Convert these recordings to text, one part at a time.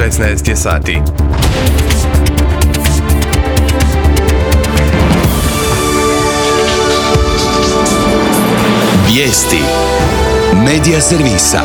16 je sati. Vijesti Medija servisa.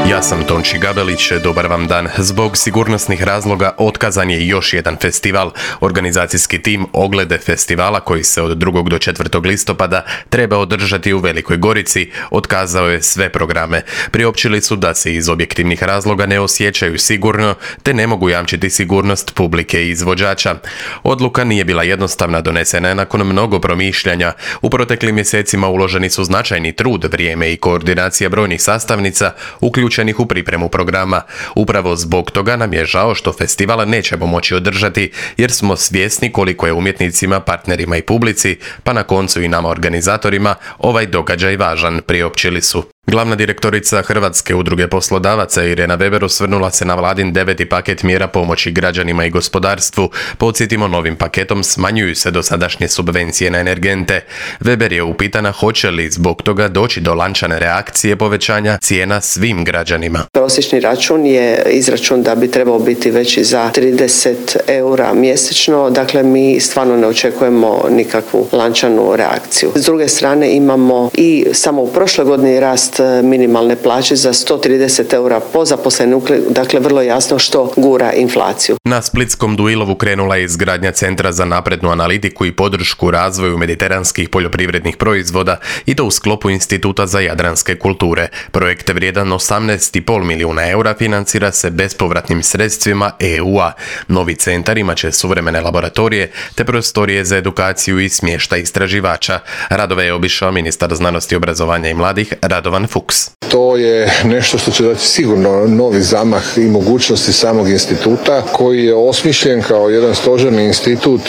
Ja sam Tonči Gabelić, dobar vam dan. Zbog sigurnosnih razloga otkazan je još jedan festival. Organizacijski tim Oglede festivala, koji se od 2. do 4. listopada treba održati u Velikoj Gorici, otkazao je sve programe. Priopćili su da se iz objektivnih razloga ne osjećaju sigurno, te ne mogu jamčiti sigurnost publike i izvođača. Odluka nije bila jednostavna, donesena je nakon mnogo promišljanja. U proteklim mjesecima uloženi su značajni trud, vrijeme i koordinacija brojnih sastavnica, uključenih u pripremu programa. Upravo zbog toga nam je žao što festival nećemo moći održati, jer smo svjesni koliko je umjetnicima, partnerima i publici, pa na koncu i nama organizatorima, ovaj događaj važan, priopćili su. Glavna direktorica Hrvatske udruge poslodavaca Irena Weber osvrnula se na vladin 9. paket mjera pomoći građanima i gospodarstvu. Podsjetimo, novim paketom smanjuju se dosadašnje subvencije na energente. Weber je upitana hoće li zbog toga doći do lančane reakcije povećanja cijena svim građanima. Prosječni račun je izračun da bi trebao biti veći za 30 eura mjesečno, dakle mi stvarno ne očekujemo nikakvu lančanu reakciju. S druge strane imamo i samo u prošloj godini rast minimalne plaće za 130 eura po zaposlenom, dakle vrlo jasno što gura inflaciju. Na splitskom Duilovu krenula je izgradnja Centra za naprednu analitiku i podršku razvoju mediteranskih poljoprivrednih proizvoda, i to u sklopu Instituta za jadranske kulture. Projekt vrijedan 18,5 milijuna eura financira se bespovratnim sredstvima EU-a. Novi centar imaće suvremene laboratorije te prostorije za edukaciju i smještaj istraživača. Radove je obišao ministar znanosti, obrazovanja i mladih Radovan Fuchs. To je nešto što će dati sigurno novi zamah i mogućnosti samog instituta, koji je osmišljen kao jedan stožerni institut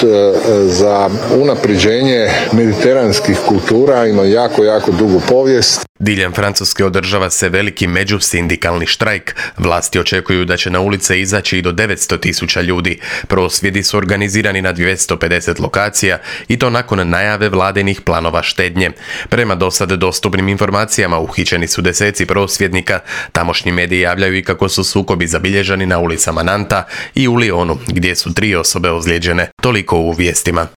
za unapređenje mediteranskih kultura, ima jako dugu povijest. Diljem Francuske održava se veliki međusindikalni štrajk. Vlasti očekuju da će na ulice izaći i do 900.000 ljudi. Prosvjedi su organizirani na 250 lokacija, i to nakon najave vladinih planova štednje. Prema dosad dostupnim informacijama uhićeni su deseci prosvjednika. Tamošnji mediji javljaju i kako su sukobi zabilježeni na ulicama Nanta i u Lyonu, gdje su 3 osobe ozlijeđene. Toliko u vijestima.